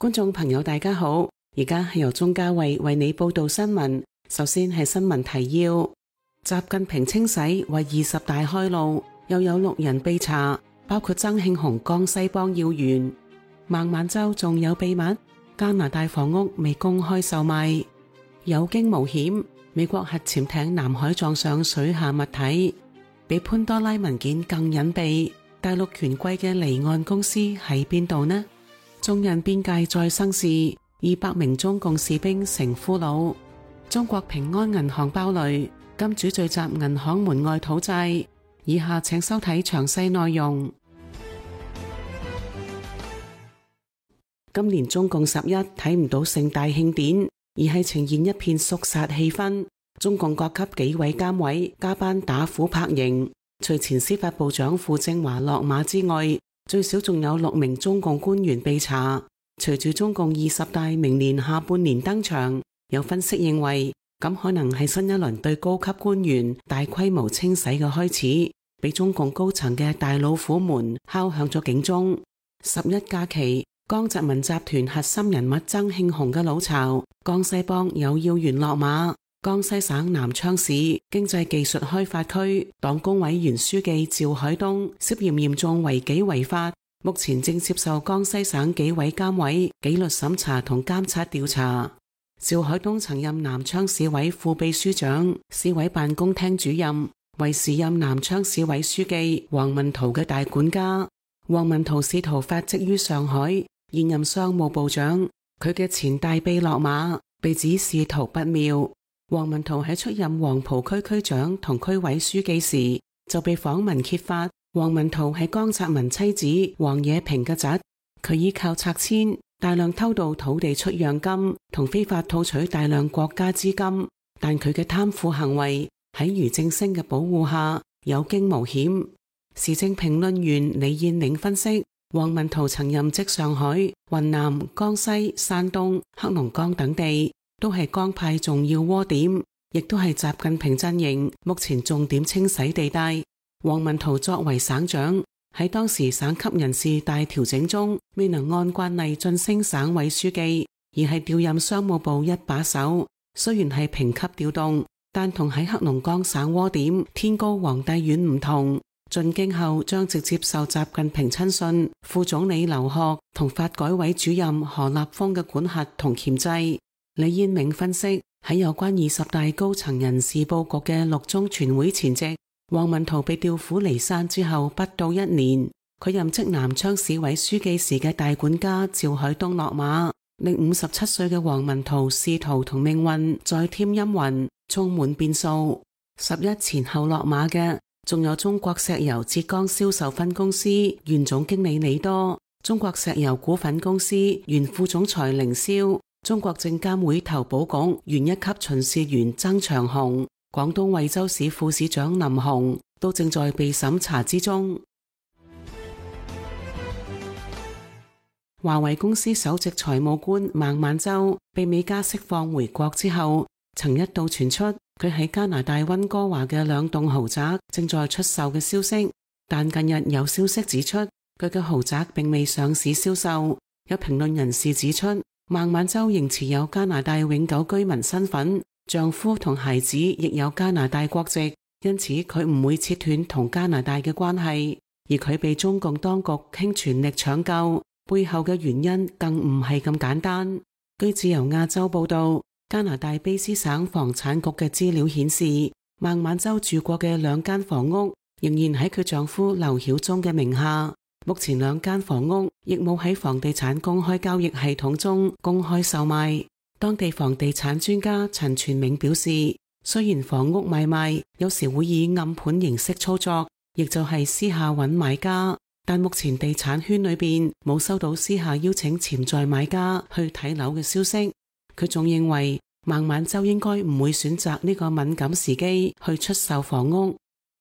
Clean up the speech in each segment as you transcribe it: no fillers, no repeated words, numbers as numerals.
觀眾朋友大家好，而家係由鍾嘉慧為你報道新聞。首先係新聞提要：習近平清洗為20大開路，又有6人被查，包括曾慶紅江西幫要員。孟晚舟仲有秘密，加拿大房屋未公開售賣。有驚無險，美國核潛艇南海撞上水下物體，比潘多拉文件更隱秘。大陸權貴嘅離岸公司喺邊度呢？中印邊界再生事，200名中共士兵成俘虜。中國平安銀行爆雷，金主聚集銀行門外討債。以下請收睇詳細內容。今年中共11睇唔到盛大慶典，而係呈現一片肅殺氣氛。中共各級紀委監委加班打虎拍蠅，除前司法部長傅政華落馬之外，最少仲有6名中共官員被查。隨住中共20大明年下半年登場，有分析認為咁可能係新一輪對高級官員大規模清洗嘅開始，俾中共高層嘅大老虎們敲響咗警鐘。11假期，江澤民集團核心人物曾慶紅嘅老巢江西幫有要員落馬。江西省南昌市經濟技術開發區黨工委原書記趙海東涉嫌嚴重違紀違法，目前正接受江西省紀委監委紀律審查同監察調查。趙海東曾任南昌市委副秘書長、市委辦公廳主任，為時任南昌市委書記王文濤嘅大管家。王文濤仕途發跡於上海，現任商務部長。佢嘅前大秘落馬，被指仕途不妙。王文濤喺出任黃浦區區長同區委書記時，就被訪問揭發，王文濤係江澤民妻子王冶平嘅侄。佢依靠拆遷大量偷渡土地出讓金，同非法套取大量國家資金，但佢嘅貪腐行為喺俞正聲嘅保護下有驚無險。時政評論員李燕明分析，王文濤曾任職上海、雲南、江西、山東、黑龍江等地，都係江派重要窩點，亦都係習近平陣營目前重點清洗地帶。王文濤作為省長，喺當時省級人事大調整中，未能按慣例晉升省委書記，而係調任商務部一把手。雖然係評級調動，但同喺黑龍江省窩點天高皇帝遠唔同。進京後將直接受習近平親信副總理劉鶴同發改委主任何立峰嘅管轄同鉗制。李燕明分析，喺有關20大高層人事佈局嘅6中全會前夕，王文濤被調虎離山之後不到1年，佢任職南昌市委書記時嘅大管家趙海東落馬，令57歲嘅王文濤仕途同命運再添陰雲，充滿變數。11前後落馬嘅仲有中國石油浙江銷售分公司原總經理李多、中國石油股份公司原副總裁凌霄、中國證監會投保局原1級巡視員曾長紅、廣東惠州市副市長林洪都正在被審查之中。華為公司首席財務官孟晚舟被美加釋放回國之後，曾一度傳出佢喺加拿大溫哥華嘅2棟豪宅正在出售嘅消息，但近日有消息指出佢嘅豪宅並未上市銷售。有評論人士指出，孟晚舟仍持有加拿大永久居民身份，丈夫同孩子亦有加拿大國籍，因此佢唔會切斷同加拿大嘅關係。而佢被中共當局傾全力搶救，背後嘅原因更唔係咁簡單。據自由亞洲報道，加拿大卑詩省房產局嘅資料顯示，孟晚舟住過嘅2間房屋仍然喺佢丈夫劉曉忠嘅名下。目前2間房屋亦冇喺房地產公開交易系統中公開售賣。當地房地產專家陳全銘表示，雖然房屋買賣有時會以暗盤形式操作，亦就係私下揾買家，但目前地產圈裏邊冇收到私下邀請潛在買家去睇樓嘅消息。佢仲認為孟晚舟應該唔會選擇呢個敏感時機去出售房屋。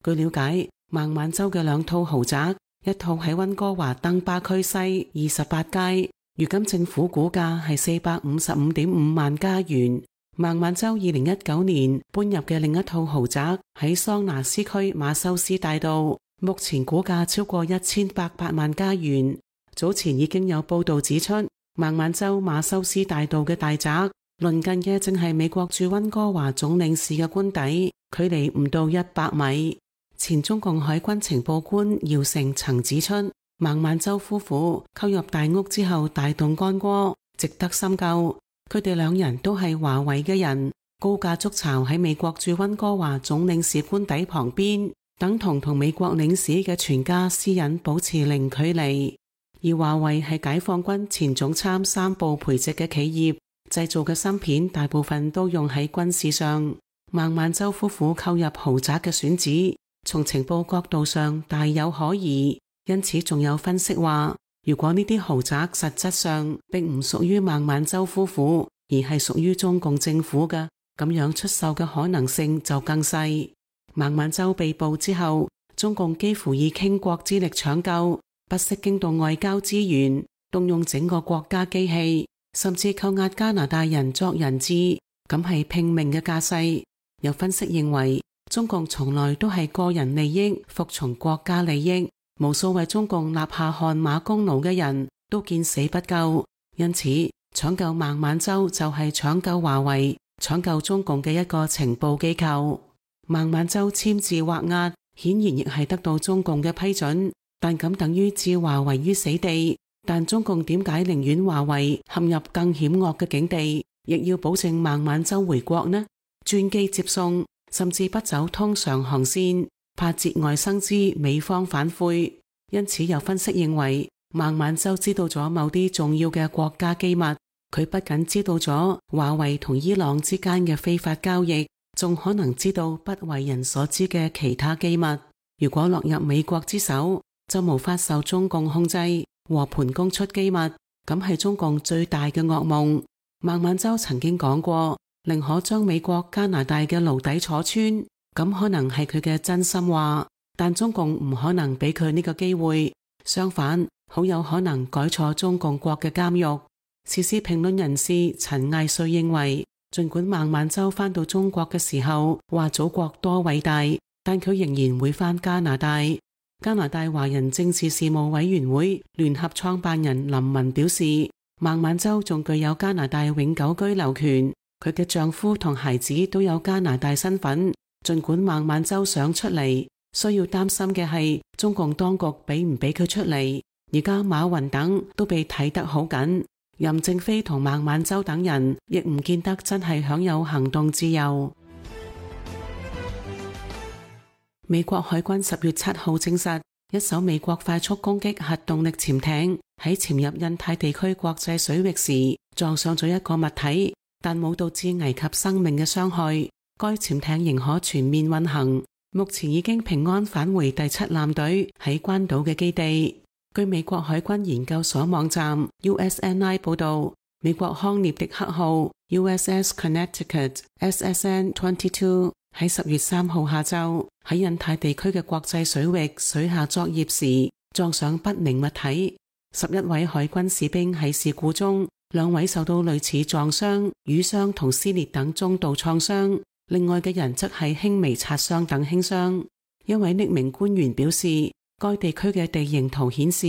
據了解，孟晚舟嘅2套豪宅，一套喺溫哥華登巴區西28街，如今政府估價係455.5萬加元。孟晚舟2019年搬入嘅另一套豪宅喺桑拿斯區馬修斯大道，目前估價超過1800萬加元。早前已經有報道指出，孟晚舟馬修斯大道嘅大宅，鄰近嘅正係美國駐溫哥華總領事嘅官邸，距離唔到100米。前中共海軍情報官姚成曾指出，孟晚舟夫婦購入大屋之後大動干戈，值得深究。佢哋兩人都係華為嘅人，高價築巢喺美國駐溫哥華總領事官邸旁邊，等同美國領事嘅全家私隱保持零距離。而華為係解放軍前總參3部培植嘅企業，製造嘅芯片大部分都用喺軍事上。孟晚舟夫婦購入豪宅嘅選址，從情報角度上大有可疑，因此仲有分析話，如果呢啲豪宅實質上並唔屬於孟晚舟夫婦，而係屬於中共政府嘅，咁樣出售嘅可能性就更細。孟晚舟被捕之後，中共幾乎以傾國之力搶救，不惜驚動外交資源，動用整個國家機器，甚至扣押加拿大人作人質，咁係拼命嘅架勢。有分析認為，中共從來都係個人利益服從國家利益，無數為中共立下汗馬功勞嘅人都見死不救，因此搶救孟晚舟就係搶救華為，搶救中共嘅一個情報機構。孟晚舟簽字畫押，顯然亦係得到中共嘅批准，但咁等於置華為於死地。但中共點解寧願華為陷入更險惡嘅境地，亦要保證孟晚舟回國呢？專機接送，甚至不走通常航線，怕節外生枝，美方反悔。因此有分析認為，孟晚舟知道咗某啲重要嘅國家機密，佢不僅知道咗華為同伊朗之間嘅非法交易，仲可能知道不為人所知嘅其他機密。如果落入美國之手，就無法受中共控制，和盤供出機密，咁係中共最大嘅噩夢。孟晚舟曾經講過，寧可將美國、加拿大嘅牢底坐穿，咁可能係佢嘅真心話，但中共唔可能俾佢呢個機會，相反，好有可能改坐中共國嘅監獄。時事評論人士陳艾瑞認為，儘管孟晚舟返到中國嘅時候話祖國多偉大，但佢仍然會返加拿大。加拿大華人政治事務委員會聯合創辦人林文表示，孟晚舟仲具有加拿大永久居留權，佢嘅丈夫同孩子都有加拿大身份。儘管孟晚舟想出嚟，需要擔心嘅係中共當局俾唔俾佢出嚟。而家馬雲等都被睇得好緊，任正非同孟晚舟等人亦唔見得真係享有行動自由。美國海軍10月7號證實，一艘美國快速攻擊核動力潛艇喺潛入印太地區國際水域時撞上咗一個物體，但冇導致危及生命嘅傷害。該潛艇仍可全面運行，目前已經平安返回第7艦隊喺關島嘅基地。據美國海軍研究所網站 USNI 報道，美國康涅狄克號 USS Connecticut SSN-22 喺10月3號下晝喺印太地區嘅國際水域水下作業時撞上不明物體。11位海軍士兵喺事故中，2位受到類似撞傷、瘀傷同撕裂等中度創傷，另外嘅人則係輕微擦傷等輕傷。一位匿名官員表示，該地區嘅地形圖顯示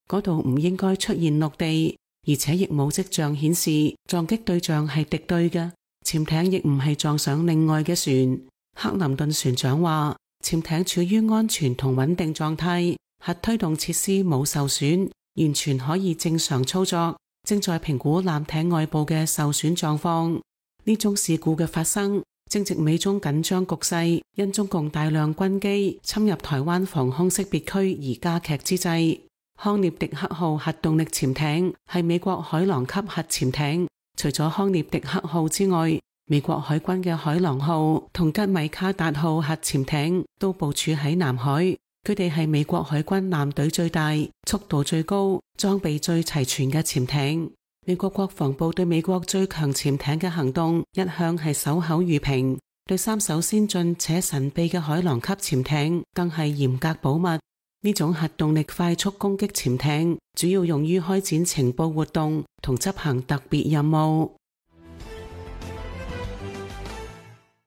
嗰度唔應該出現陸地，而且亦冇跡象顯示撞擊對象係敵對嘅。潛艇亦唔係撞上另外嘅船。克林頓船長話，潛艇處於安全同穩定狀態，核推動設施冇受損，完全可以正常操作，正在評估艦艇外部嘅受損狀況。呢種事故嘅發生正值美中緊張局勢因中共大量軍機侵入台灣防空識別區而加劇之際。康涅狄克號核動力潛艇係美國海狼級核潛艇，除咗康涅狄克號之外，美國海軍嘅海狼號同吉米卡達號核潛艇都部署喺南海，佢哋係美國海軍艦隊最大、速度最高、裝備最齊全嘅潛艇。美國國防部對美國最強潛艇嘅行動一向係守口如瓶，對3艘先進且神秘嘅海狼級潛艇更係嚴格保密。呢種核動力快速攻擊潛艇主要用於開展情報活動同執行特別任務。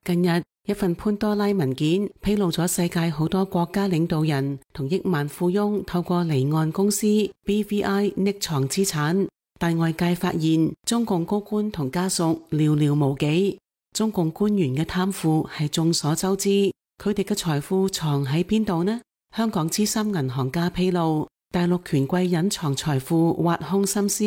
近日，一份潘多拉文件披露咗世界好多國家領導人同億萬富翁透過離岸公司 BVI 匿藏資產，但外界發現中共高官同家屬寥寥無幾，中共官員嘅貪腐係眾所周知，佢哋嘅財富藏喺邊度呢？香港資深銀行家披露，大陸權貴隱藏財富挖空心思，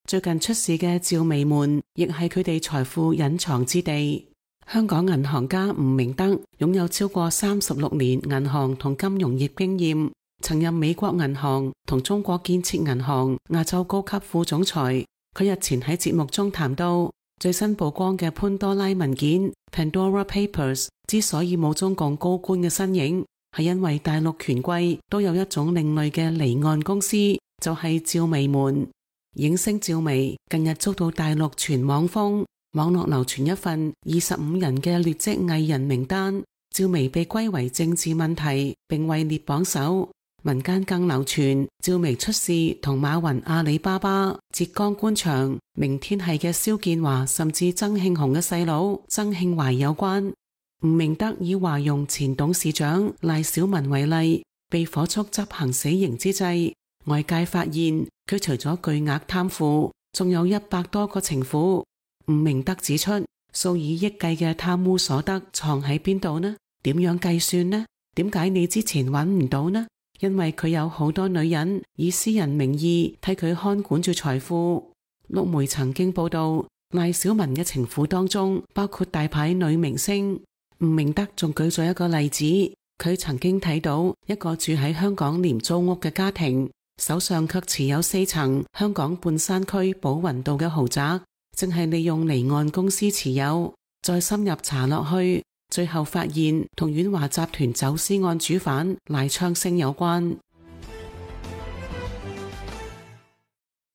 最近出事嘅趙薇門亦係佢哋財富隱藏之地。香港銀行家吳明德擁有超過36年銀行同金融業經驗，曾任美國銀行同中國建設銀行亞洲高級副總裁。佢日前喺節目中談到，最新曝光嘅潘多拉文件 Pandora Papers 之所以冇中共高官嘅身影，係因為大陸權貴都有一種另類嘅離岸公司，就係趙薇門。影星趙薇近日遭到大陸全網封，網絡流傳一份25人嘅劣跡藝人名單，趙薇被歸為政治問題，並位列榜首。民間更流傳趙薇出事同馬雲阿里巴巴、浙江官場、明天系嘅蕭建華甚至曾慶紅嘅細佬曾慶懷有關。吳明德以華融前董事長賴小民為例，被火速執行死刑之際，外界發現佢除咗巨額貪腐，仲有100多個情婦。吳明德指出，數以億計嘅貪污所得藏喺邊度呢？點樣計算呢？點解你之前揾唔到呢？因為佢有好多女人以私人名義替佢看管住財富。陸媒曾經報道，賴小民嘅情婦當中包括大牌女明星。吳明德仲舉咗一個例子，佢曾經睇到一個住喺香港廉租屋嘅家庭，手上卻持有4層香港半山區寶雲道嘅豪宅，正係利用離岸公司持有。再深入查落去，最後發現同遠華集團走私案主犯賴昌星有關。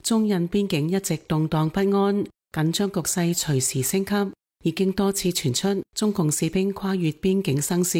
中印邊境一直動盪不安，緊張局勢隨時升級，已經多次傳出中共士兵跨越邊境生事。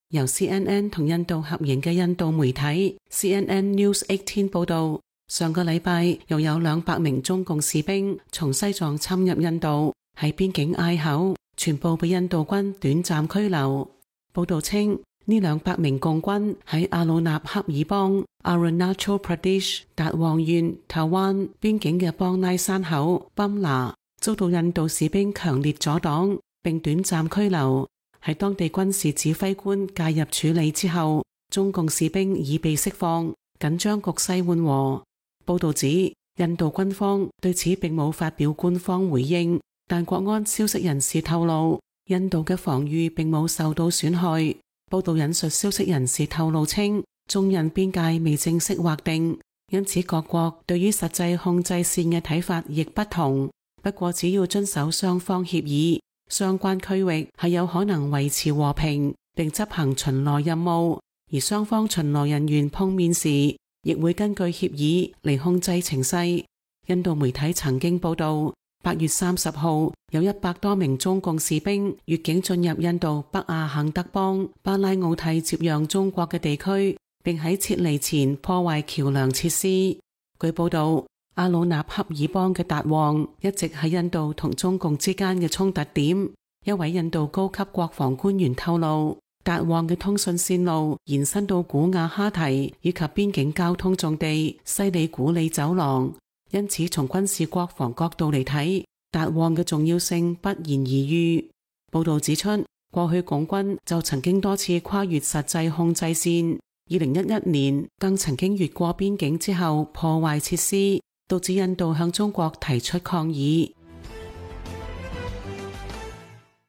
由 CNN 同印度合營嘅印度媒體 CNN News 18報道，上個禮拜又有200名中共士兵從西藏侵入印度，喺邊境隘口全部被印度軍短暫拘留。報道稱，呢200名共軍喺阿魯納恰爾邦 Arunachal Pradesh 達旺縣塔灣邊境嘅邦拉山口賓拿遭到印度士兵強烈阻擋，並短暫拘留。喺當地軍事指揮官介入處理之後，中共士兵已被釋放，緊張局勢緩和。報道指，印度軍方對此並冇發表官方回應，但國安消息人士透露，印度嘅防禦並冇受到損害。報道引述消息人士透露稱，中印邊界未正式劃定，因此各國對於實際控制線嘅睇法亦不同。不過只要遵守雙方協議，相關區域係有可能維持和平並執行巡邏任務，而雙方巡邏人員碰面時亦會根據協議嚟控制情勢。印度媒體曾經報道，8月30號有100多名中共士兵越境進入印度北阿肯德邦巴拉奧蒂接壤中國嘅地區，並喺撤離前破壞橋樑設施。據報道，阿魯納恰爾邦嘅達旺一直係印度同中共之間嘅衝突點。一位印度高級國防官員透露，達旺嘅通訊線路延伸到古瓦哈提以及邊境交通重地西里古里走廊，因此從軍事國防角度嚟睇，達旺嘅重要性不言而喻。報道指出，過去共軍就曾經多次跨越實際控制線，2011年更曾經越過邊境之後破壞設施，導致印度向中國提出抗議。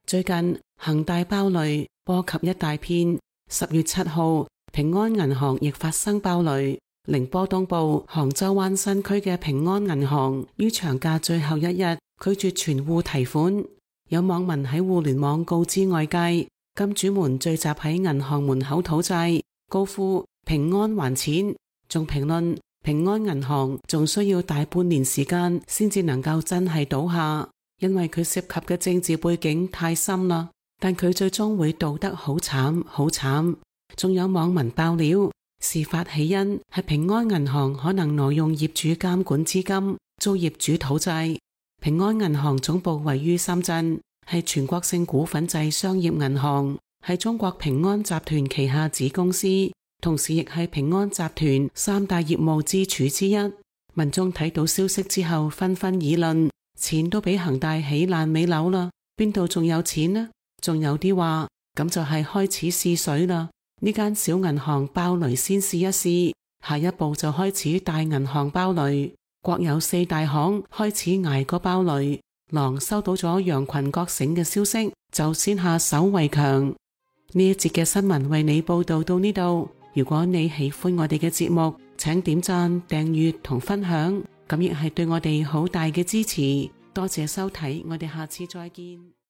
最近恒大爆雷波及一大片，10月7號平安銀行亦發生爆雷。寧波東部杭州灣新區嘅平安銀行於長假最後一日拒絕存戶提款。有網民喺互聯網告知外界，金主們聚集喺銀行門口討債，高呼平安還錢，仲評論平安銀行仲需要大半年時間先至能夠真係倒下，因為佢涉及嘅政治背景太深啦，但佢最終會倒得好慘好慘。仲有網民爆料，事發起因係平安銀行可能挪用業主監管資金，遭業主討債。平安銀行總部位於深圳，係全國性股份制商業銀行，係中國平安集團旗下子公司，同時亦係平安集團3大業務支柱之一。民眾睇到消息之後紛紛議論，錢都俾恒大起爛尾樓啦，邊度仲有錢呢？仲有啲話咁就係開始試水啦，呢間小銀行爆雷先試一試，下一步就開始大銀行爆雷，國有4大行開始捱過爆雷。狼收到咗羊群覺醒嘅消息，就先下手為強。呢一節嘅新聞為你報道到呢度。如果你喜歡我哋嘅節目，請點讚、訂閱同分享，咁亦係對我哋好大嘅支持。多謝收睇，我哋下次再見。